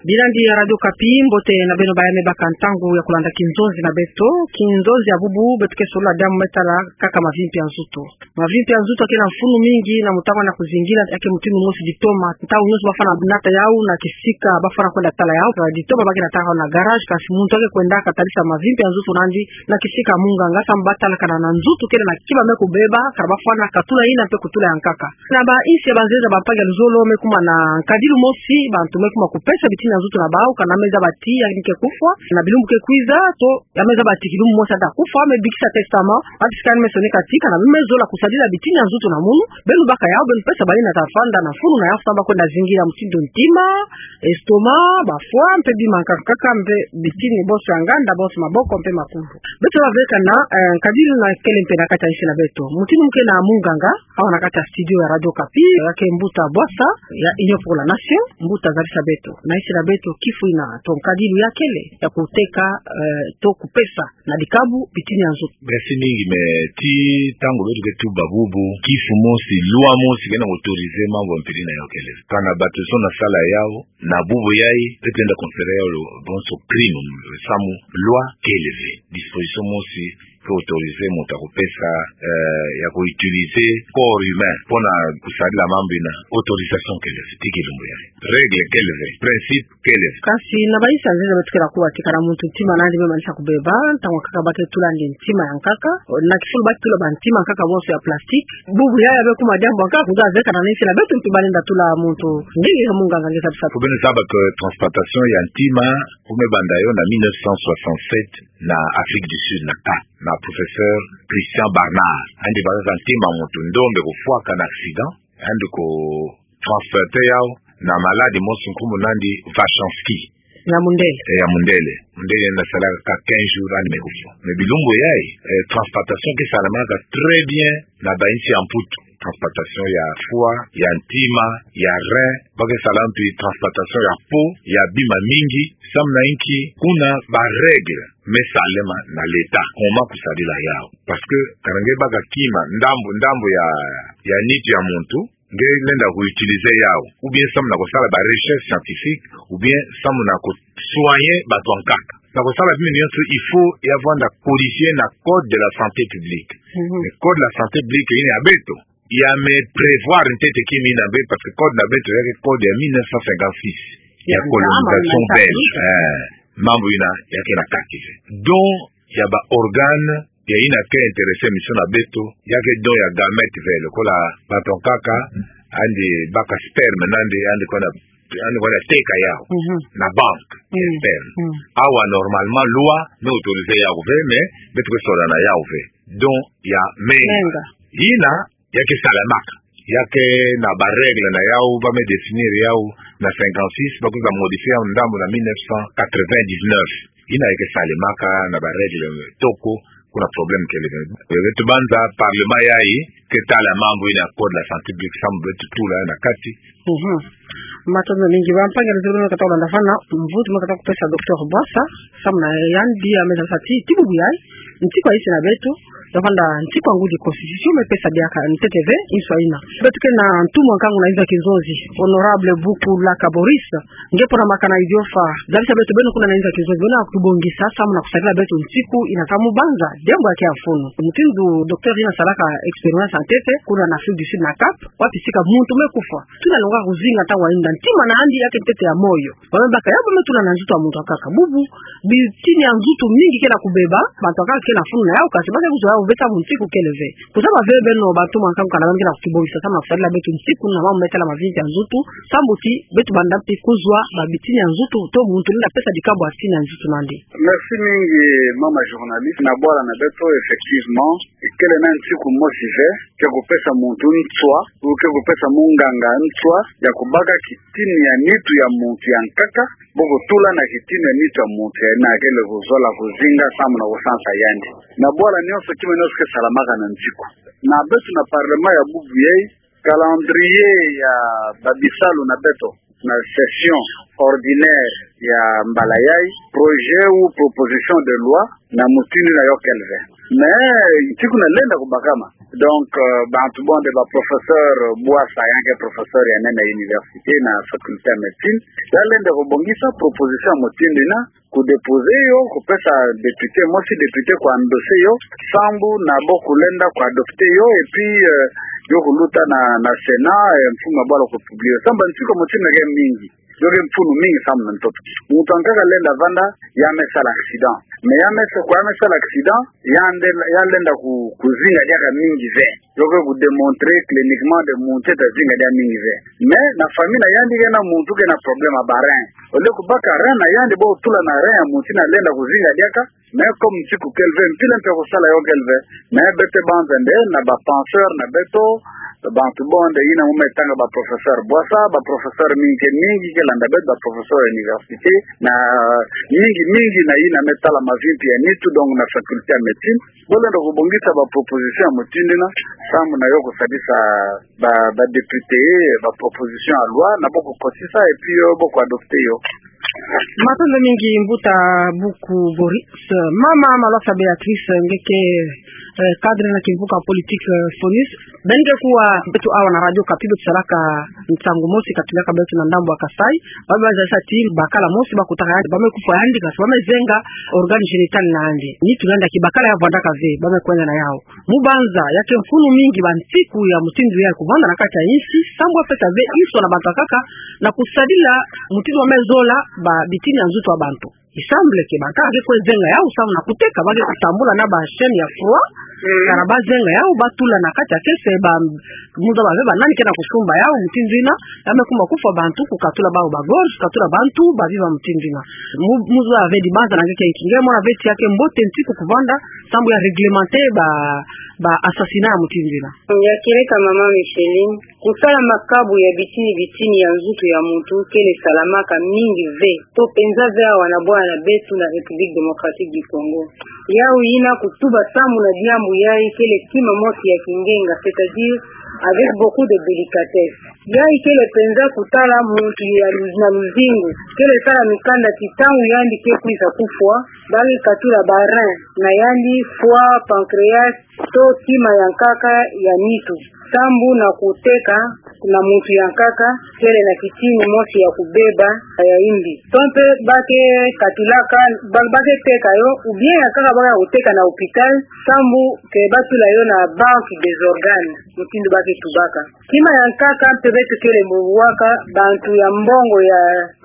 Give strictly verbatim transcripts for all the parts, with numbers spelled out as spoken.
Bilandi ya Radio Okapi, mbote na beno baye me baka ntangu ya kulanda kinzonzi na beto. Kinzonzi ya bubu, beto ke solola diambu me tala kaka mavimpi ya nzutu. Mavimpi ya nzutu ake na mfunu mingi na mutangu na kuzingila, ake mutindu mosi ditoma. Ntangu nyonso bafwana nata yau na kisika bafwana kwenda tala yau. Ditoma ba ke nataka yau na garage, kasi muntu ake kwendaka talisa mavimpi ya nzutu na yandi na kisika munganga, samu batalakana na nzutu kele na kima me kubeba, kala bafwana katula yina mpe kutula ya nkaka. Na bainsi ya banzenza, bampangi ya luzolo, me kuma na nkadilu mosi, bantu me kuma kupesa bitini ya nzutu na bau, kana me zaba ti yandi ke kufwa na bilumbu ke kwiza, to ya me zaba ti kilumbu mosi ata kufwa, me bikisa testament, wapi sika yandi me soneka ti kana me zola kusadila bitini ya nzutu na munu. Beno baka yau, beno pesa bayi na tafanda na mfunu na yau, samu bakwenda zingila mutindu ntima, estomac, ba foie, mpe bima nkaka, mpe bitini bonso ya nganda, bonso maboko, mpe makumbu. Beto baveka na, eh, nkadilu na kele mpe na kati ya insi na beto. Mutindu mo ke na munganga awa na kati ya studio ya Radio Okapi, ya ke Mbuta Bwasa, ya Union pour la Nation. Mbuta, zalisa beto na insi na beto, kifu ina to nkadilu ya kele ya kuteka, eh, to kupesa na dikabu bitini ya nzutu. Merci mingi, mais ti ntangu beto ke tuba bubu, kifu mosi, loi mosi ke na autoriser mambu ya mpila ina, yau kele ve. Kana bato zo na sala yau, na bubu yayi, beto lenda considérer yau bonso crime, samu loi kele ve. Disposition mosi ke autoriser muntu ya kupesa, eh, ya ku utiliser corps humain mpo na kusadila mambu ina, autorisation kele ve, ti kilumbu yayi. Règle kele ve, principe kele ve. Kasi na bainsi ya nzenza beto ke na kuwa ti kana muntu ntima na yandi me manisa kubeba, ntangu ya nkaka ba ke tula yandi ntima ya nkaka, na kifulu ba ke tula bantima ya nkaka bonso ya plastique. Bubu yayi ya me kuma diambu ya nkaka, kuza zeka na insi na beto, mpi balenda tula muntu. Nge, nge munganga, nge zaba ti. Faut beno zaba que transplantation ya ntima, faut me banda yo na mille neuf cent soixante-sept na Afrique du Sud, na Cap, na professeur Christian Barnard. Yandi bakaka ntima ya muntu ndombe kufwaka na accident, yandi ku transplanter yau na malade mosi nkumbu na yandi Vachinsky. Ya mundele. Eh, ya mundele. Mundele yandi nasalaka kaka quinze jours, yandi me kufwa. Mais bilumbu yayi, eh, transplantation ke salamaka très bien na bainsi ya Mputu. Transplantation ya foie, ya ntima, ya rein, ba ke sala mpe transplantation ya peau, ya bima mingi, samu na inki? Kuna ba règles me salama na l'État, comment kusadila yau. Parce que kana nge baka kima, ndambu, ndambu ya, ya nitu ya muntu, nge lenda ku utiliser yau, ou bien samu na kusala ba recherche scientifique, ou bien samu na ku soigner bato ya nkaka. Na kusala bima nyonso, il faut ya vwanda corriger na code de la santé publique. Mhm. Mais code de la santé publique ina ya beto, ya me prévoir ntete kima ina ve, parce que code na beto ya ke code ya mille neuf cent cinquante-six, ya colonisation belge. Eh, mambu ina ya ke na kati ve. Don ya ba organes ya ina ke intéresser mission na beto, ya ke don ya gamète ve, lokola bato ya nkaka, yandi baka sperme na yandi, yandi kwenda, yandi kwenda teka yau na banque ya sperme. Awa, normalement, loi me autoriser yau ve, mais beto ke solola na yau ve. Don ya menga. Menga. Ina ya ke salamaka. Ya ke na ba règles na yau, ba me définir yau na cinquante-six, ba kwiza modifier yau ndambu na mille neuf cent quatre-vingt-dix-neuf. Ina ya ke salamaka na ba règles toko, kuna problème kele ve. Beto banza parlement yayi ke tala mambu ina code de la santé publique, samu beto tula na kati. Mhm. Matondo mingi. Bampangi ya luzolo, beno kata kulanda fana, mvutu mo kata kupesa Docteur Bwasa, samu na yandi ya me zaba ti, ti bubu yayi, nsiku ya insi na beto, ya vwanda nsiku ya ngudi, constitution me pesa diaka ntete ve inso ina. Beto ke na ntumwa nkangu na inzo ya kinzonzi, Honorable Bukulaka Boris, nge pona makana idiofa, zabisa beto beno kuna na inzo ya kinzonzi, beno ya kutubongisa samu na kusadila beto nsiku ina ka mu banza diambu ya ke ya mfunu. Mutindu docteur ina salaka expérience ya ntete kuna na Afrique du Sud na Cap, wapi sika muntu me kufwa, tuna longa kuzinga ntangu ya yinda ntima na yandi ya ke ntete ya moyo. Ba me baka yau, ba me tula na nzutu ya muntu ya nkaka. Bubu, bitini ya nzutu mingi ke na kubeba, bantu ya nkaka ke na mfunu na yau, kasi ba ke kuzwa yau ve samu nsiku kele ve. Kuzaba ve beno bantumwa nkangu, kana ba me ke na kutubongisa samu na kusadila beto nsiku na mambu me tala mavimpi ya nzutu, samu ti beto banda mpi kuzwa ba bitini ya nzutu, to muntu lenda pesa dikabu ya bitini ya nzutu na yandi. Merci mingi, mama journaliste. Na bwala na beto, effectivement, kele na nsiku mosi ve ke kupesa muntu nswa, ou ke kupesa munganga nswa ya kubaka kitini ya nitu ya muntu ya nkaka, bo kutula na kitini ya nitu ya muntu ya ina kele kuzola kuzinga samu na kusansa yandi. Na bwala nyonso, kima nyonso ke salamaka na nsiku. Na beto na parlement ya bubu yayi, calendrier ya ba bisalu na beto, na session ordinaire ya mbala yayi, projet ou proposition de loi na mutindu yina yo kele ve. Mais ntiku nalenda kubakama. Donc, euh, bantu bande ba professeur Bouassa, ya ke professeur ya nene ya université na faculté ya médecine, ya lenda kubongisa proposition ya mutindu yina, kudéposer yo, kupesa député mosi, député kuendosser yo, sambu na bo kulenda kuadopter yo, et puis, euh, yo kuluta na, na Sénat, euh, mfumu abala kupublier yo. Sambu ntiku mutindu ke mingi. Yo ke mfunu mingi sambu na ntoto. Muntu yankaka lenda vanda, ya me sala accident. Mais ya me sa-, kwa ya me sala accident, yandi, ya lenda ku-, kuzinga diaka mingi ve. Yo ke kudémontrer cliniquement de muntu ta zinga diaka mingi ve. Mais na famille na yandi ke na muntu ke na problème ya ba rein. Au lieu kubaka rein na yandi, bo tula na rein ya muntu yina lenda kuzinga diaka. Mais comme ntiku kele ve, mpila mpe ya kusala yo kele ve. Mais beto banza nde, na ba penseurs na beto, bantu bande yina mu me tanga ba professeur Bouassa, ba professeur mingi ke mingi ke landa beto, ba professeur ya université, na mingi mingi na yina me tala mavimpi ya nitu, donc na faculté ya médecine. Bo lenda kubongisa ba proposition ya mutindu yina, sambu na yo kusadisa ba, ba député, ba proposition ya loi, na bo kukotisa, et puis yo, bo kuadopter yo. Matondo mingi mbuta Buku Boris. Mama Malwasa Béatrice, nge ke, eh, cadre na kimvuka politique, eh, FONUS. Beno nge kuwa beto awa na Radio Okapi, beto salaka nsangu mosi katulaka beto na ndambu ya Kasaï. Ba me bazisa ti bakala mosi bakutaka yandi, ba me kufwa yandi, kasi ba me zenga organe génital na yandi. Nitu na yandi ya kibakala ya vwandaka ve, ba me kwenda na yau. Mu banza, ya ke mfunu mingi ba ntiku ya mutindu yayi kuvanda na kati ya insi, sambu ya pesa ve inso na bantu yankaka, na kusadila mutindu wa me zola ba bitini ya nzutu ya bantu. Il semble que bankaka ke kwe zenga yau, sambu na kuteka, ba ke kutambula na ba chaîne ya froid, mm, kana ba zenga yau, ba tula na kati ya caisse, ba, mu zaba ve ba nani ke na kusumba yau, mutindu yina, ya me kuma kufwa bantu, kukatula bau ba gorge, kukatula bantu, ba biba mutindu yina. Mu, mu zaba ve di banza na nge ke nki, nge mona ve ti ya ke mbote ntiku kuvanda, sambu ya réglementer ba, ba assassinat ya mutindu yina. Ya kieleka mama Micheline, kusala makabu ya bitini bitini ya nzutu ya muntu kele salamaka mingi ve, to penza ve awa na bwala na beto na République Démocratique du Congo. Yau yina kutuba sambu na diambu yayi kele kima mosi ya kingenga, c'est-à-dire avec beaucoup de délicatesse. Yayi kele penza kutala muntu ya lu-, na luzingu, kele sala mikanda ti ntangu yandi ke kwiza kufwa, ba ke katula ba rein na yandi, foie, pancréas, to kima yankaka ya nitu. Sambu na kuteka na muntu yankaka, kele na kitini mosi ya kubeba ya yimbi. To mpe ba ke katulaka, ba, ba ke teka yo, ou bien yankaka ba ke kuteka na hôpital, sambu ke ba tula yo na banque des organes, mutindu ba ke tubaka. Kima yankaka mpe beto kele mu bwaka, bantu ya mbongo ya,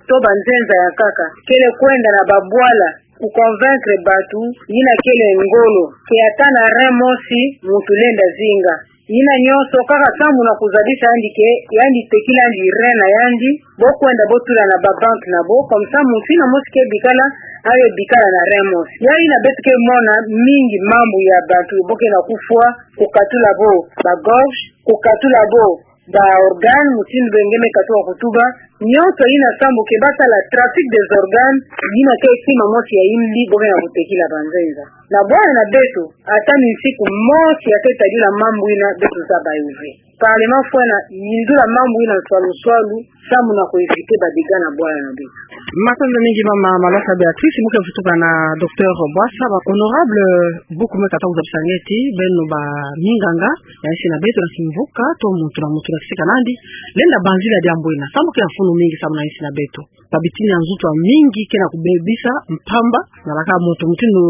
to banzenza yankaka, kele kwenda na babwala, ku convaincre bantu, yina kele ngolo, que ata na rein mosi, muntu lenda zinga. Yina nyonso, kaka sambu na kuzabisa yandi que, yandi tekila yandi rein na yandi, bo kwenda bo tula na ba banque na bo, comme ça, muntu yina mosi ke bikala, aye bikala na rein mosi. Ya yina beto ke mona mingi mambu ya bantu, bo ke na kufwa, kukatula bo ba gorge, kukatula bo ba organe, mutindu nge me katuka kutuba, nyonso yina sambu que ba sala trafic des organes, yina ke kima mosi ya yimbi bo ke na kutekila banzenza. Na bwala na beto, ata ni nsiku mosi ya ke tadila mambu yina beto zaba yo ve. Parlement fwena yindula mambu yina nswalu nswalu, sambu na ku éviter ba dégâts na bwala na beto. Matondo mingi mama Malwasa Béatrice, mu ke vutuka na docteur Bouassa, ba honorable Buku me kata kuzabisa nge ti, beno ba minganga ya insi na beto na kimvuka, to muntu na muntu na kisika na yandi, lenda banzila diambu yina, sambu ke ya mfunu mingi sambu na insi na beto. Ba bitini ya nzutu ya mingi ke na kubebisa mpamba, na laka muntu mutindu,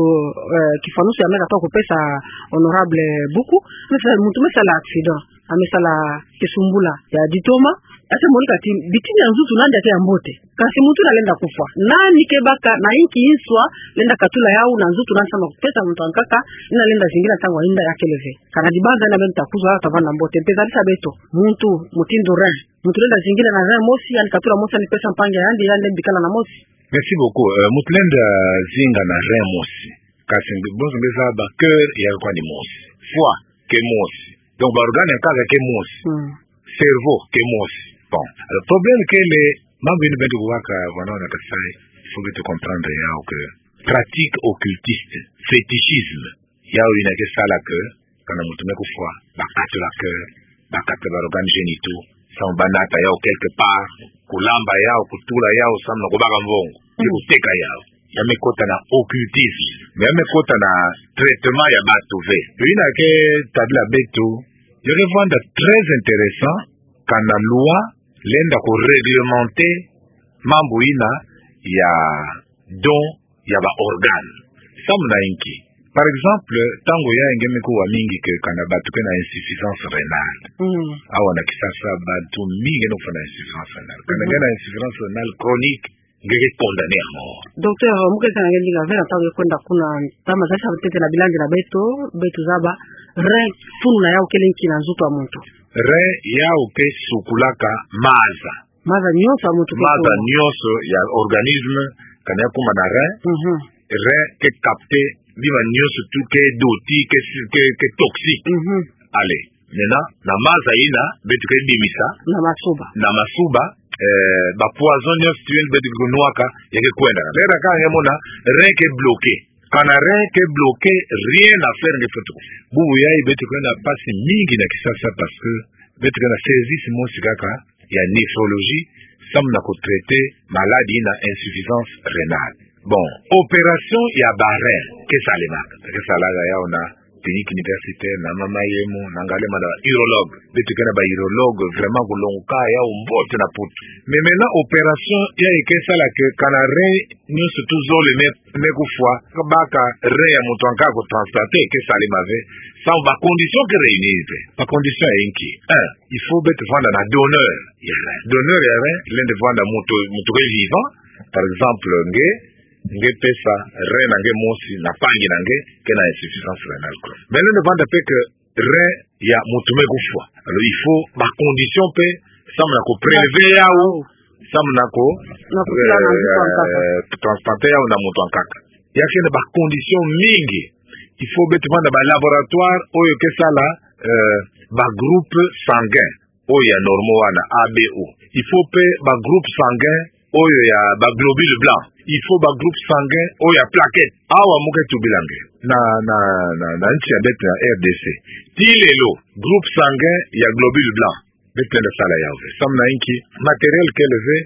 eh, kifanusu ya me kata kupesa honorable Buku, me sa-, muntu me sala accident, a me sala kisumbula ya ditoma, a te monika ti bitini ya nzutu na yandi ya ke ya mbote. Kasi muntu yina lenda kufwa. Nani ke baka, na inki inso lenda katula yau na nzutu na yandi sambu na kupesa muntu yankaka, yina lenda zingila ntangu yina ya kele ve. Kana di banza yina beno ta kuzwa, ta vanda mbote. Mpe zabisa beto, muntu, mutindu rein. Muntu lenda zingila na rein mosi, yandi katula mosi, yandi pesa mpangi ya yandi, yandi bikala na mosi. Merci beaucoup. Euh, muntu lenda zinga na rein mosi. Kasi mbi-, bonso mbi zaba cœur ya kwani mosi. Foie ke mosi. Donc, ba organe yankaka ke mosi. Mm. Cerveau ke mosi. Bon. Alors, problème kele, mambu yina beto kubaka, wana wana Kasaï, il faut beto comprendre yau que pratique occultiste, fétichisme, yau yina ke sala que, kana muntu me kufwa, ba katula cœur, ba katula ba organes génitaux, samu banata yau quelque part, kulamba yau, kutula yau, samu na kubaka mvongo, pe kuteka yau. Ya me kota na occultisme. Mais ya me kota na traitement ya batu ve. Yo ina ke tabila beto, ya ke vwanda très intéressant, kana loi lenda kuréglementer mambu ina ya don ya ba organes. Samu na inki? Par exemple, ntangu yayi nge me kuwa mingi ke kana batu ke na insuffisance rénale. Mm. Awa na Kinshasa batu mingi nge no kufwa na insuffisance rénale. Kana nge na insuffisance rénale chronique, nge ke condamné à mort. Docteur, mu ke kana nge ndinga ve na ntangu ya kwenda kuna, ntama zasa ntete na bilandi na beto, beto zaba, rein, funu na yau kele nki na nzoto ya muntu? Rein yau ke sukulaka maza. Maza nyonso ya muntu ke... Maza nyonso ya organisme, kana ya kuma na rein, Mhm. rein ke capter bima nyonso tout ke doti, ke, ke, ke toxique. Mhm. Allez, maintenant, na maza ina, beto ke bimisa. Na masuba. Na masuba, eh, ba poison nyonso tu beto ke kunwaka, ya ke kwenda. Lera ka nge mona, rein ke bloqué. Kana rein ke bloqué, rien à faire nge fwete kufwa. Bubu yayi beto ke na mpasi mingi na Kinshasa parce que beto ke na service mosi kaka ya néphrologie, samu na kutraiter maladie na insuffisance rénale. Bon, opération ya ba rein ke salemaka, ke salaka yau na clinique universitaire, na Mama Yemo, na Ngalema, na urologue. Beto ke na ba urologue vraiment kulongoka yau mbote na Mputu. Mais maintenant, opération yayi ke sala ke kana rein nyonso tu zole me, me kufwa, ka baka rein ya muntu ankaka kutransplanter, ke salema ve, samu ba conditions ke réunir ve. Ba conditions ya inki? Un, il faut beto vwanda na donneur ya rein. Donneur ya rein lenda vwanda muntu, muntu ke vivant. Par exemple, nge, nge pesa rein na nge mosi na mpangi na nge ke na insuffisance rénale chronique. Mais lenda vwanda pe ke rein ya muntu me kufwa. Alors, il faut ba conditions pe, samu na kuprélever yau, samu na ku... Na kutia na nzoto ya nkaka. Eh, transplanter yau na muntu ankaka. Ya ke na ba conditions mingi. Il faut beto vwanda ba laboratoire oyo ke sala, eh, ba groupe sanguin oyo ya normaux wana, A B O. Il faut pe ba groupe sanguin oyo ya ba globules blancs. Il faut ba groupe sanguin oyo ya plaquettes. Awa mu ke tubila nge na, na, na, na nsi ya beto na R D C. Tii lelo, groupe sanguin ya globules blancs, beto lenda sala yau ve. Samu na inki? Matériel kele ve,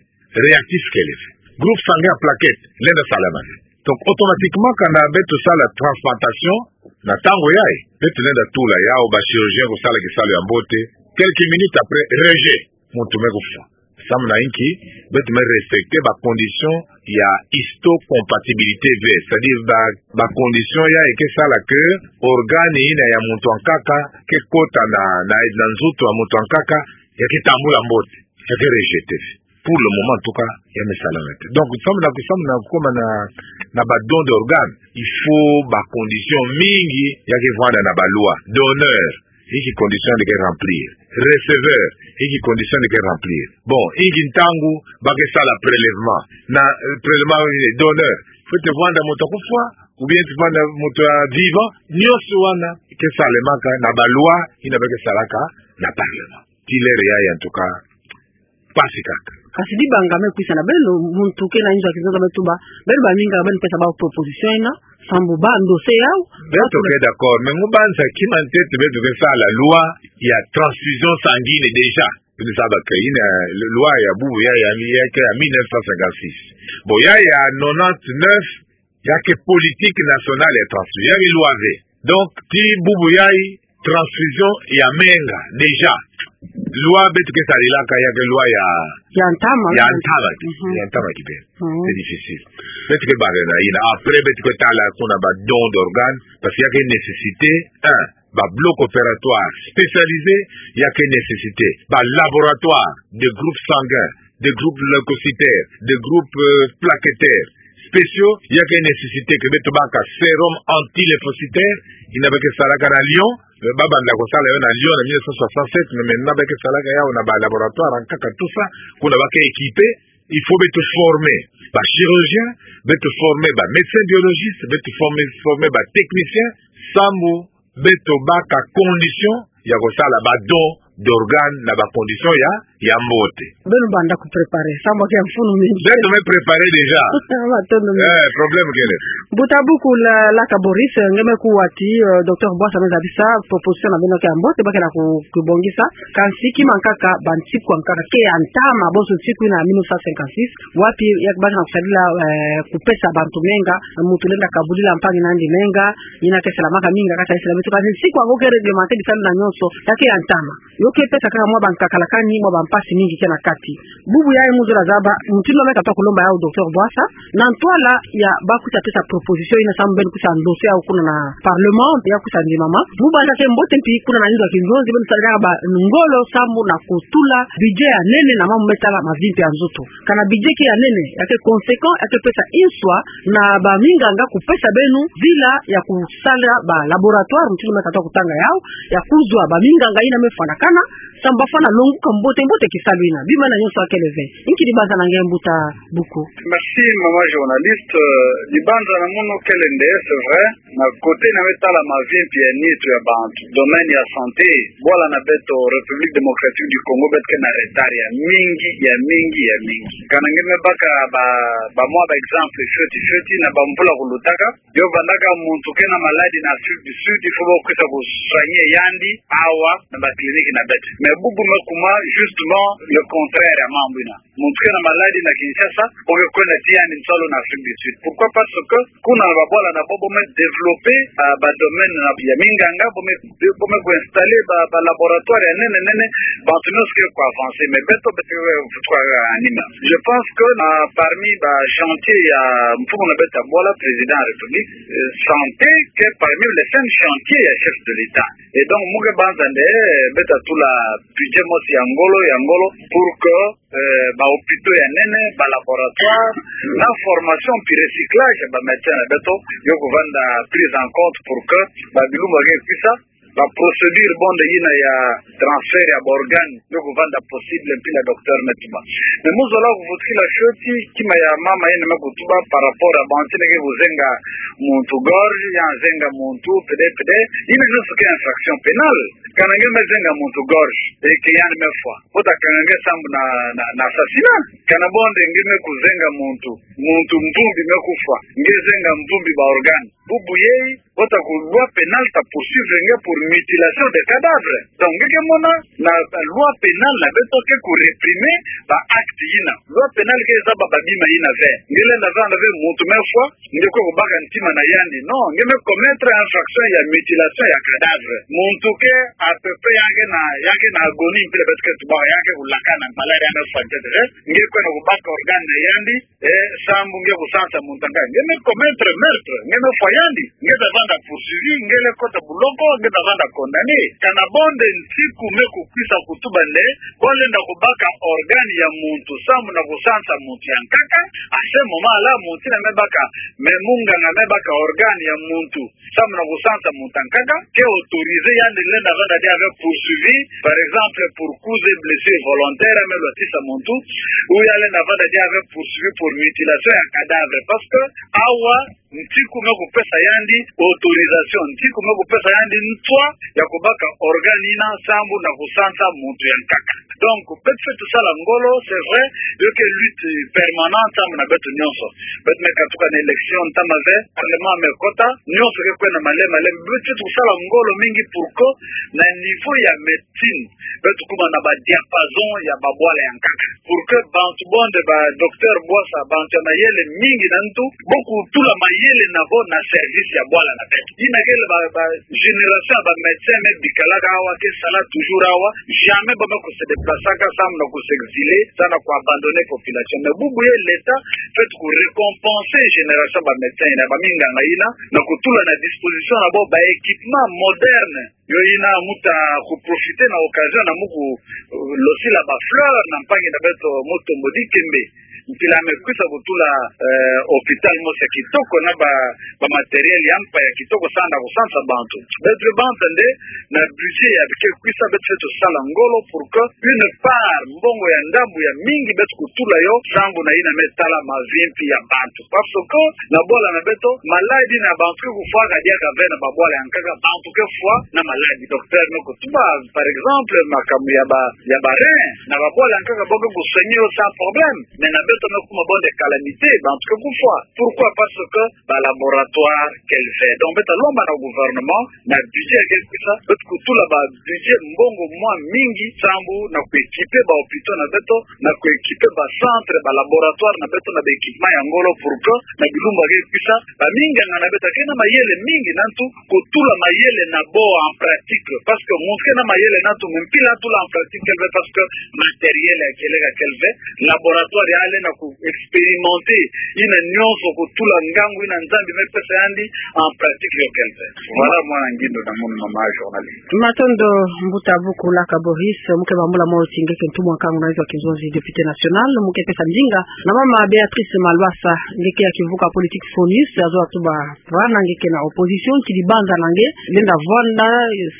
réactif kele ve. Groupe sanguin ya plaquettes lenda salama ve. Donc, automatiquement, kana beto sala transplantation, na ntangu yayi, beto lenda tula yau, ba chirurgiens kusala kisalu ya mbote. Quelques minutes après, rejet, muntu me kufwa. Samu na inki? Beto me respecter ba conditions ya histocompatibilité ve, c'est-à-dire ba, ba conditions yayi ke sala ke organe ina ya muntu ankaka ke kota na, na, na nzoto ya muntu ankaka, ya ke tambula mbote, ya ke rejeter. Pour le moment, en tout cas, ya me salama te. Donc, samu na ku, samu na kukoma na, na ba don d'organes, il faut ba conditions mingi ya ke vwanda na ba loi. Donneur, inki condition ya ke remplir? Receveur, inki condition ya ke remplir? Bon, inki ntangu ba ke sala prélèvement? Na, eh, prélèvement, eh, donneur, fwete vwanda muntu ya kufwa, ou bien fwete vwanda muntu ya vivant? Nyonso wana ke salemaka na ba loi ina ba ke salaka na parlement. Tii lere yayi, en tout cas, mpasi kaka. Kasi dibanga me kwisa na beno, muntu ke na inzo ya kizonza me tuba, beno baminga beno pesa bau proposition ina, sambu ba endosser yau. Beto ke d'accord, mais ngu banza kima ntete beto ke sala loi ya transfusion sanguine déjà. Beno zaba ke ina loi ya bubu ya, ya, ya ke ya mille neuf cent cinquante-six. Bon, ya ya nonante-neuf, ya ke politique nationale ya transfusion, ya ke loi ve. Donc, tii bubu yayi, transfusion ya menga, déjà, loi beto ke sarilaka ya ke loi ya, ya ntama, ya ntama ki, mhm, ya ntama kibeni. Mhm. C'est difficile. Beto ke barena ina. Après, beto ke tala kuna ba don d'organes, parce que ya ke nécessité, un, ba bloc opératoire spécialisé, ya ke nécessité ba laboratoire de groupes sanguins, de groupes leucocytaires, de groupes, euh, plaquettaires spéciaux, ya ke nécessité que beto baka sérum anti-lymphocytaire, ina ba ke salaka na Lyon, euh, ba banda kusala yo na Lyon na mille neuf cent soixante-sept, mais maintenant ba ke salaka yau na ba laboratoire ankaka, tout ça, kuna ba ke équipé. Il faut beto former ba chirurgien, beto former ba médecin biologiste, beto former, former ba technicien, sambu beto baka condition ya kusala ba don d'organe na ba condition ya ya mbote. Beno banda ku préparer, sambu ke ya mfunu mingi. Beto me préparer déjà. Matondo mingi. Eh, problème kele. Mbuta buku Laka Boris, nge me kuwa ti, eh, Docteur Bouassa me zabisa proposition na beno ke ya mbote, ba ke na ku, kubongisa. Kansi kima nkaka, ba ntiku ya nkaka ke ya ntama, bonso ntiku ina mille neuf cent cinquante-six, wapi ya baka na kusadila, eh, kupesa bantu menga, muntu lenda kabudila mpangi na yandi menga, ina ke salamaka minga kati ya nsi na beto, kansi ntiku yango ke réglementer bisalu na nyonso, ya ke ya ntama. Yo ke pesa kaka mwa bankakalakani, mwa bampasi mingi ke na kati. Bubu yayi mu zola zaba, mutindu me katuka kulomba yawu Docteur Bouassa, na ntwala ya ba kwisa pesa proposition ina, sambu beno kwisa ndose yawu kuna na Parlement, ya kwisa ndimama. Mu banda ke mbote mpi kuna na nido ya kinzonzi, beno sala kaka ba ngolo sambu na kutula budget ya nene na mambu me tala mavimpi ya nzoto. Kana budget ke ya nene, ya ke conséquent, ya ke pesa inswa na baminganga kupesa beno nzila ya kusala ba laboratoire, mutindu me katuka kutanga yawu, ya kuzwa baminganga ina me fwanakana, sambu ba fwana longuka mbote mbote kisalu ina. Bima na nyonso ya kele ve. Inki dibanza na nge mbuta buku? Merci, maman journaliste. Euh, dibanza na munu kele nde, c'est vrai. Na côté na me tala mavimpi ya nitu ya bantu, domaine ya santé, bwala na beto République Démocratique du Congo, beto ke na retard ya mingi, ya mingi, ya mingi. Kana nge me baka ba, ba mwa ba exemple fioti fioti na bamvula kulutaka. Yo vandaka muntu ke na maladie na Afrique du Sud, il faut ba kwisa ku soigner yandi awa na ba clinique na beto. Mais bubu me kuma justement le contraire ya mambu ina. Muntu ke na maladie na Kinshasa, bo ke kwenda tia yandi nsalu na Afrique du Sud. Pourquoi? Parce que kuna na babwala na bo, bo me développer, ah, ba domaine na ya minganga, bo me, bo me ku installer ba, ba laboratoire ya nene nene, bantu nyonso ke ku avancer. Mais beto, beto ke vutuka anima. Je pense que na parmi ba chantier ya mfumu na beto ya bwala, président ya République, euh, santé ke parmi les cinq chantiers ya chef de l'État. Et donc, mu ke banza nde, eh, beto tula budget mosi ya ngolo, ya ngolo, pour que, eh, ba hôpitaux ya nene, ba laboratoire, na formation puis recyclage ya ba médecins na beto, yo kuvanda prise en compte pour que ba bilumbu ke kwisa, ba procédure bonde ina ya transfert ya ba organes, yo kuvanda possible mpila docteur me tuba. Mais mu zola kuvutukila fioti, kima ya mama ina me kutuba par rapport à bantu ina ke kuzenga muntu gorge, ya zenga muntu pede pede, ina nyonso ke infraction pénale. Kana nge me zenga muntu gorge, e ke yandi me fwa. Bo ta kanga nge sambu na, na, na assassinat. Kana bonde nge me kuzenga muntu, muntu mvumbi me kufwa, nge zenga mvumbi ba organes. Bubu yeyi, bo ta ku loi pénale ta poursuivre nge pour mutilation de cadavre. Donc, nge ke mona na, na loi pénale na beto ke ku réprimer ba acte ina. Loi pénale ke zaba ba bima ina ve. Nge lenda zaba nde ve muntu me fwa, nge kwe kubaka ntima na yandi. Non, nge me commettre infraction ya mutilation ya cadavre. Muntu ke à peu près ya ke na, ya ke na agonie mpila beto ke tuba, ya ke kulakana, malade ya me fwa ntete ve. Nge kwenda kubaka organe na yandi, eh, sambu nge kusansa muntu ya nkaka. Nge me commettre meurtre, nge me fwa yandi, nge ta vanda poursuivi, nge le kota buloko, nge ta vanda condamné. Kana bonde ntiku me kukwisa kutuba nde, bo lenda kubaka organe ya muntu, sambu na kusansa muntu ya nkaka, à ce moment-là, muntu ina me baka, me munganga me baka organe ya muntu, sambu na kusansa muntu ya nkaka, ke autorisé yandi lenda vanda dia ve poursuivi, par exemple, pour coups et blessures volontaires, ya me lwatisa muntu, ou ya lenda vanda dia ve poursuivi pour mutilation ya cadavre, parce que awa, ntiku me kupesa yandi autorisation, ntiku me kupesa yandi ntwa ya kubaka organe ina sambu na kusansa muntu ya nkaka. Donc, beto fweti sala ngolo, c'est vrai, yo ke lutte permanente sambu na beto nyonso. Beto me katuka na élection, ntama ve, parlement me kota, nyonso ke kwenda male male, beto fweti sala ngolo mingi pour que na niveau ya médecine, beto kuma na ba diapason ya babwala ya nkaka. Pour que bantu bonde ba Docteur Bouassa, bantu ya mayele mingi na ntu, bo kutula mayele na bo na service ya bwala na beto. Ina kele ba, ba génération ya ba médecins me bikalaka awa, ke sala toujours awa, jamais ba me ku se déplacaka, sambu na ku s'exiler, sambu na ku abandonner population. Mais bubu ye l'État fweti ku récompenser génération ya ba médecins ina, ba minganga ina, na kutula na disposition na bo ba équipements modernes. Yo ina mu ta ku profiter na occasion na mu ku, euh, losila ba fleurs na mpangi na beto Mutombo Dikembe. Mpila me kwisa kutula, euh, hôpital mosi ya kitoko na ba, ba matériel ya mpa ya kitoko sambu na kusansa bantu. Beto bantu nde, na budget ya ke kwisa beto fweti sala ngolo pour que une part, mbongo ya ndambu ya mingi beto kutula yo, sambu na ina me tala mavimpi ya bantu. Parce que na bwala na beto, maladie na bantu ke kufwaka diaka ve na babwala ya nkaka, bantu ke fwa na Ala di docteur me kutuba, par exemple, makambu ya ba, ya ba rein, na babwala nkaka bo ke kusoigner yo sans problème. Mais na beto me kuma bon de calamité, bantu ke kufwa. Pourquoi? Parce que ba laboratoire kele ve. Donc beto lomba na gouvernement, na budget ya ke kwisa, beto kutula ba budget mbongo mwa mingi, sambu na kuéquiper ba hôpitaux na beto, na kuéquiper ba centre, ba laboratoire na beto na ba équipement ya ngolo, pour que na bilumbu ya ke kwisa, ba minganga na beto ke na mayele mingi na ntu kutula mayele na bo en pratique. Parce que muntu ke na mayele na ntu, mais mpila atula en pratique kele ve, parce que matériel ya kele ka kele ve, laboratoire ya lenda ku expérimenter yina nyonso, kutula ngangu yina Nzambi me pesa yandi, en pratique yo kele ve. Voilà mwa ngindu na munu, mama journaliste. Matondo. Mbuta Bukulaka Boris, mu ke bambula mwa oti nge ke ntumwa nkangu na nzo ya kinzonzi, député national, mu ke pesa ndinga na mama Béatrice Malwasa, nge ke ya kivuka politique FONUS, azo atuba vana nge ke na opposition, ti dibanza na nge lenda vwanda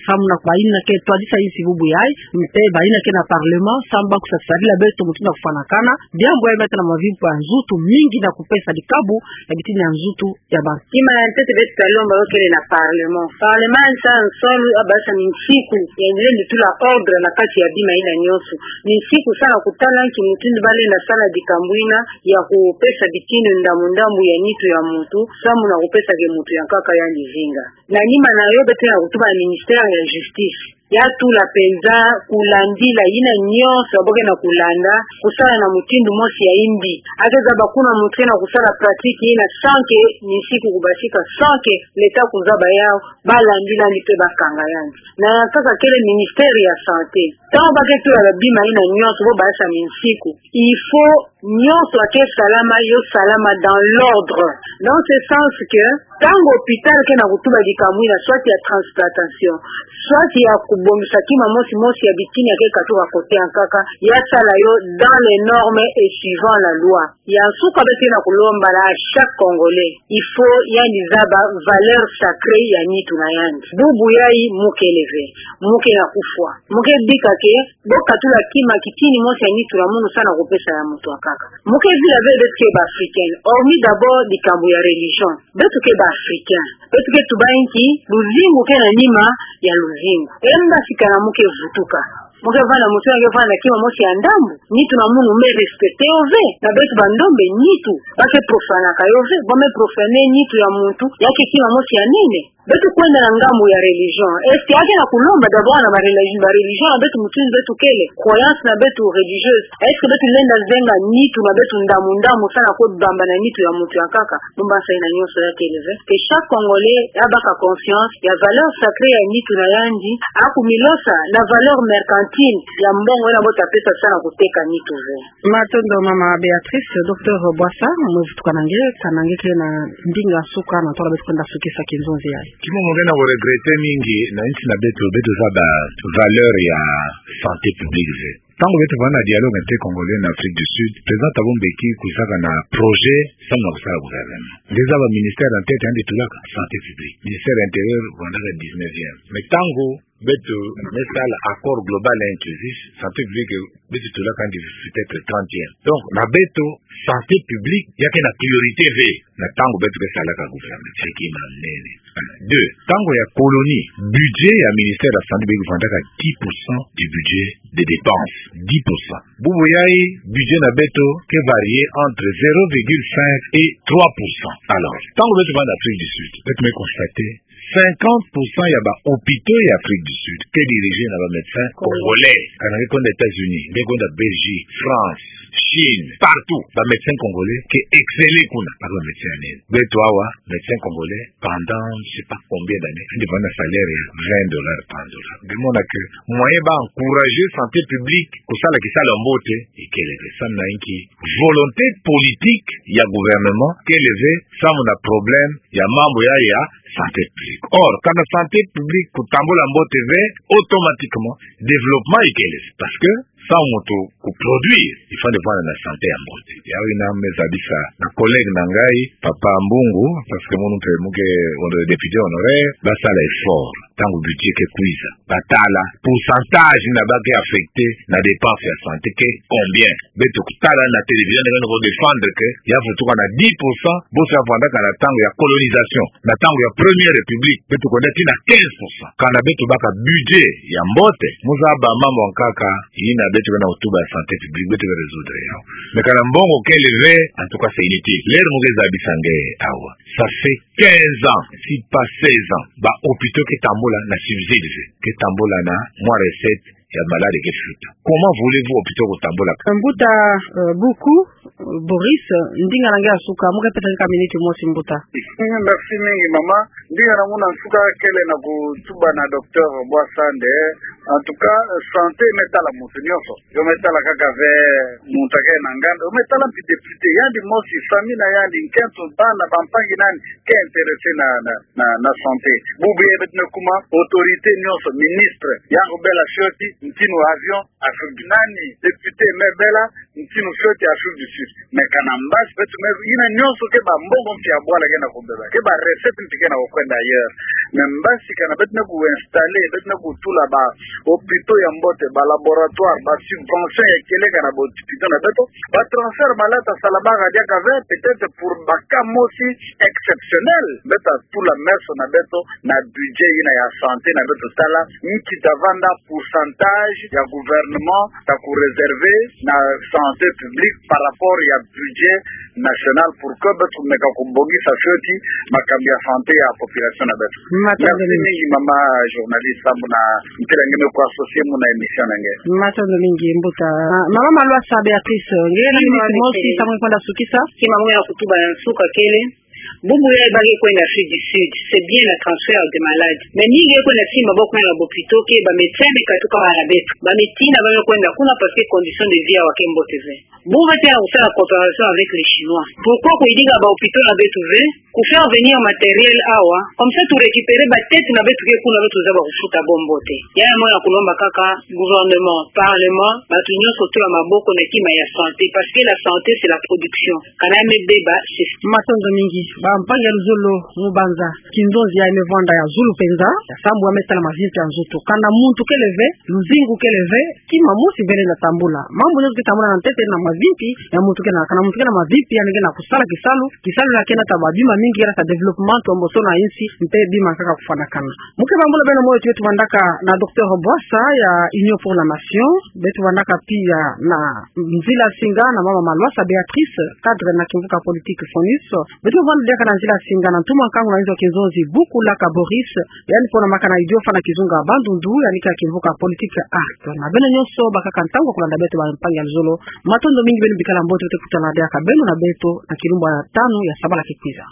samu na bayina ke twadisa insi bubu yayi, mpe bayina ke na parlement, samu ba kusa sarila beto mutindu ya kufwanakana, diambu yayi me tala mavibu ya nzutu mingi na kupesa dikabu ya bitini ya nzutu ya ba. Kima ya ntete beto ta lomba yo kele na parlement. Parlement yandi sa nsoni, abasa minsiku, yandi lendi tula ordre na kati ya bima yina nyonso. Minsiku samu na kutala nki mutindu ba lenda sala dikambu yina ya kupesa bitini ndambu ndambu ya nitu ya muntu, samu na kupesa ke muntu ya nkaka yandi zinga. Na nima na yo beto na kutuba na ministère ya justice. Ya tula penza kulandila yina nyonso ya bo ke na kulanda, kusala na mutindu mosi ya yimbi. A ke zaba kuna muntu ke na kusala pratique yina sans que minsiku kubasika, sans que l'État kuzaba yawu, ba landila yandi mpe ba kanga yandi. Na ya nkaka kele ministère ya santé. Ntangu ba ke tula ba bima yina nyonso, bo basa minsiku, il faut nyonso ya ke salama, yo salama dans l'ordre. Dans ce sens que, ntangu hôpital ke na kutuba dikambu yina, soit ya transplantation, soit ya kubongisa kima mosi mosi ya bitini ya ke katuka côté ya nkaka, ya sala yo dans les normes et suivant la loi. Ya nsuka beto ke na kulomba na chaque Congolais, il faut yandi zaba valeur sacrée ya nitu na yandi. Bubu yayi mu kele ve, mu ke na kufwa. Mu ke bika ke, bo katula kima, kitini mosi ya nitu na munu samu na kupesa ya muntu ya nkaka. Mu ke vila ve beto ke ba Africains. Hormis d'abord dikambu ya religion, beto ke ba Africains. Beto ke tuba nki, luzingu ke na nima ya luzingu. E mbasikana mu ke vutuka. Mu ke vanda, muntu ya ke vanda kima mosi ya ndambu, nitu na munu me respecter yo ve. Na beto ba ndombe, nitu ba ke profanaka yo ve. Ba me profaner nitu ya muntu ya ke kima mosi ya nene. Beto kwenda na ngambu ya religion. Est-ce que ya ke na kulomba d'abord na ba religion, ba religion na beto mutindu beto kele, croyance na beto religieuse, est-ce que beto lenda zenga nitu na beto ndambu ndambu samu na kubamba na nitu ya muntu ya nkaka? Mu mbanza yina nyonso ya kele ve. Que chaque Congolais ya baka conscience ya valeur sacrée ya nitu na yandi, a kumilosa na valeur mercantile ya mbongo yina bo ta pesa samu na kuteka nitu ve. Matondo mama Béatrice. Docteur Bwasa, mu vutuka na nge, kana nge ke na ndinga nsuka na ntwala beto kwenda sukisa kinzonzi yayi. Kima mu nge na ku regretter mingi na nsi na beto, beto zaba valeur ya santé publique ve. Ntangu beto vanda na dialogue intercongolais na Afrique du Sud, président Thabo Mbeki kuzaka na projet samu na kusala gouvernement. Nge zaba ministère ya ntete yandi tulaka santé publique. Ministère ya intérieur vandaka dix-neuvième. Mais ntangu beto me sala accord global et inclusif, santé publique beto tulaka yandi peut-être trentième. Donc na beto, santé publique ya ke na priorité ve. Na ntangu beto ke salaka gouvernement, c'est que na nene. Deux, ntangu ya colonie, budget ya ministère ya santé publique vandaka dix pour cent du budget de dépenses. Dix pour cent. Bubu yayi, budget na beto ke varier entre zéro virgule cinq et trois pour cent. Alors ntangu beto vanda na Afrique du Sud, beto me constater cinquante pour cent ya ba hôpitaux ya Afrique du Sud ke diriger na ba médecins congolais. Kana nge kwenda États-Unis, nge kwenda Belgique, France, Chine, partout, ba médecins congolais ke exceller kuna, ba médecins ya nene. Beto awa, médecin congolais, pendant je sais pas combien d'années, yandi vanda na salaire ya vingt dollars par dollar. Nge mona que moyen ba encourager santé publique kusala kisalu ya mbote, ikele ve. Samu na inki? Volonté politique ya gouvernement kele ve samu na problème ya mambu ya, ya santé publique. Or kana santé publique kutambula mbote ve, automatiquement développement ikele ve. Parce que Samu moto kuproduire, il faut ande avanda na santé ya mbote. Yawu yina me zabisa na collègue na ngai, Papa Mbungu, parce que mono mpe muke hono-, député honoraire, basala effort. Ntangu budget ke kwiza, batala pourcentage yina ba ke affecter na dépense ya santé ke combien. Beto kutala na télévision, nde ke na kudéfendre que ya vutuka na dix pour cent, boso ya vandaka na ntangu ya colonisation, na ntangu ya Première République, beto kwenda tii na quinze pour cent. Kana beto baka budget ya mbote, mu zaba mambu ya nkaka, yina beto ke na kutuba ya santé publique, beto ke résoudre yawu. Mais kana mbongo kele ve, en tout cas, c'est inutile. L'heure mu ke zabisa nge awa, ça fait quinze ans, si pas seize ans, ba hôpitaux ke tambula na subside ve, ke tambula na mwa recette ya malade ke futa. Comment voulez-vous hôpitaux kutambula? Mbuta, euh, Buku, euh, Boris, euh, ndinga na nge ya nsuka, mu ke pesa nge ka minute mosi, mbuta. Mm, merci mingi, mama. Ndinga na ngai ya nsuka kele na kutuba na docteur Bwasa nde. En tout cas, santé me tala muntu nyonso. Yo me tala kaka ve muntu ke na nganda. Yo me tala mpe député. Yandi mosi, famille na yandi, nkento, bana, bampangi na yandi ke intéressé na, na, na, na santé. Bubu ye beto me kuma, autorité nyonso, ministre, ya kubela fioti ntinu avion, Afrique du Nord, député me bela ntinu fioti Afrique du Sud. Mais kana mbasi beto me yina nyonso ke ba mbongo mpe ya bwala ke na kubeba, ke ba recette mpe ke na kukwenda ailleurs. Mais mbasi kana beto me ku-installer, beto me kutula ba hôpitaux ya mbote, ba laboratoire, ba subvention ya kele kana ba hôpitaux na beto, ba transfert malata salamaka diaka ve, peut-être pour ba cas mosi exceptionnel, beto tula meso na beto na budget yina ya santé na beto tala, nki ta vanda pourcentage ya gouvernement ta kuréserver na santé publique par rapport ya budget national pour que beto meka kubongisa fioti makambu ya santé ya population na beto. Matondo mingi. Merci mingi, mama journaliste, samu na mpila nge me ku-associer mu na émission na nge. Matondo mingi, mbuta. Ah, mama Malwasa Béatrice, nge na minute mosi, samu kwenda sukisa. Kima mu ya kutuba ya nsuka kele. Bubu ya ba ke kwenda Afrique du Sud, c'est bien le transfert des malades. Mais mingi ke kwenda simba maboko na ba hôpitaux ke ba médecins me katuka bala beto. Ba médecins na ba me kwenda kuna parce que condition de vie ya wau ke mbote ve. Bubu beto ya kusala coopération avec les Chinois. Pourquoi kuyidika ba hôpitaux na beto ve, ku faire venir matériel awa, comme ça tu récupères ba tête na beto ke kuna, beto zaba kufuta bo mbote. Ya ya mono ya kulomba kaka gouvernement, parlement, bato nyonso tula maboko na kima ya santé, parce que la santé c'est la production. Kana me beba, c'est... Matondo mingi. Bampangi ya luzolo, mu banza kinzonzi ya me vwanda ya zulu penza, ya sambu ya me tala mavimpi ya nzoto. Kana muntu kele ve, luzingu kele ve, kima mosi vele na tambula. Mambu nyonso ke tambula na ntete na mavimpi ya muntu ke na, kana muntu ke na mavimpi, yandi ke na kusala kisalu, kisalu yina ke nata ba bima mingi, ke nata développement, tomboso na insi, mpe bima kaka kufwanakana. Mu ke bambula beno moyo, beto vandaka na docteur Bwasa ya Union pour la Nation, beto vandaka pia na nzila singa na mama Malwasa Béatrice, cadre na kimvuka politique FONUS, beto vandaka na nzila singa na ntumwa nkangu na inzo kinzonzi Bukulaka Boris, yandi pona makana idio fana kizunga Bandundu, yandi ke na kimvuka politique ARC. Na beno nyonso bakaka ntangu ya kulanda beto, bampangi ya luzolo, matondo mingi, beno bikala mbote, beto kutana diaka beno na beto na kilumbu ya tanu ya sabala ke kwiza.